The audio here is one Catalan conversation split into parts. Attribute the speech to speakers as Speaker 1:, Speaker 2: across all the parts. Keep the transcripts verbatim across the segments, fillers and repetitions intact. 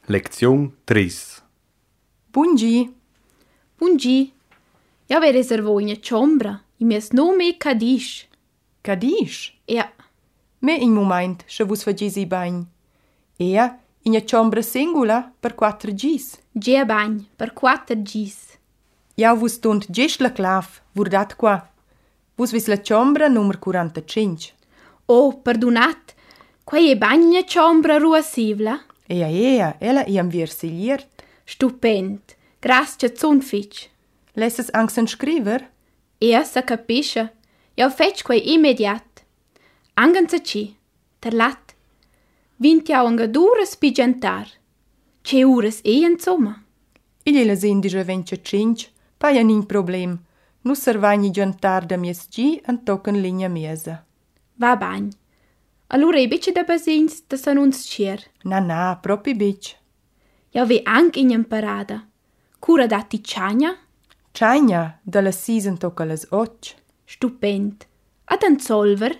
Speaker 1: Lezione tre.
Speaker 2: Buongi.
Speaker 3: Buongi. Ja vi reservò in ciombra. I mies nome è Cadish.
Speaker 2: Cadish?
Speaker 3: Ja.
Speaker 2: Me in moment, se vos facesi bagn. Ea, in ciombra singula per quattro gis.
Speaker 3: Gia bagn per quattro gis.
Speaker 2: Ja vos tont gest la clav, vordat qua. Vos vis la ciombra numero quarantacinque.
Speaker 3: Oh, perdonat. Quai è bagna ciombra ruasivla?
Speaker 2: Ea, ea, ella i am versigliert.
Speaker 3: Stupend. Grazie zunfitsch.
Speaker 2: Lesses angst scriver?
Speaker 3: Ea sa capisce. Ja fetch quai immediat. Anganza ci. Der lat. Vint ja un gadures pigentar. Ce ures e insomma.
Speaker 2: Il la sindische venticinque, pa ja nin problem. Nus servagni jantar da mies gi an tocken linja miesa.
Speaker 3: Va bagn. Allora i bici da basins da san uns cier.
Speaker 2: Na na, propi bic.
Speaker 3: Ja ve anche in imparada. Cura dati ciagna?
Speaker 2: Ciagna, da la sisen tocca las och.
Speaker 3: Stupend. Ad an solver?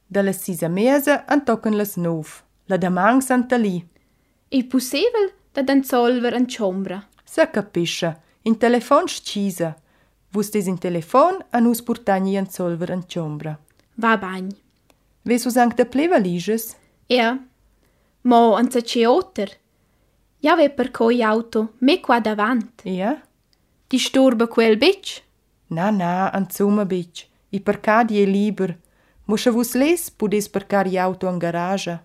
Speaker 2: Da la sisa miesa an tocken las nov. La damang santa li.
Speaker 3: Il possibel da an solver an ciombra.
Speaker 2: Sa capisce, in telefon scisa. Vus des in telefon an us purtagni an solver an ciombra.
Speaker 3: Va bagn.
Speaker 2: Ves us anche da pleva liges?
Speaker 3: Ja. Mo an sa ce otter. Ja ve per coi auto me qua davant.
Speaker 2: Ja?
Speaker 3: Disturba quel bic?
Speaker 2: Na na, an zuma bic. I parcadi è liber. Moscha vus les pudes parcar i auto an garage.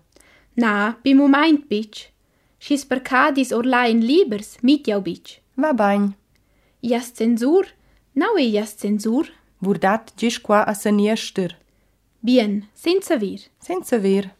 Speaker 3: Na, bi moment bic. Schis parcadis orlain libers mit jau bic.
Speaker 2: Va bagn.
Speaker 3: Jas censur? Nau e jas censur?
Speaker 2: Vordat gis qua a saniester.
Speaker 3: Bien, senza vir.
Speaker 2: Senza ver.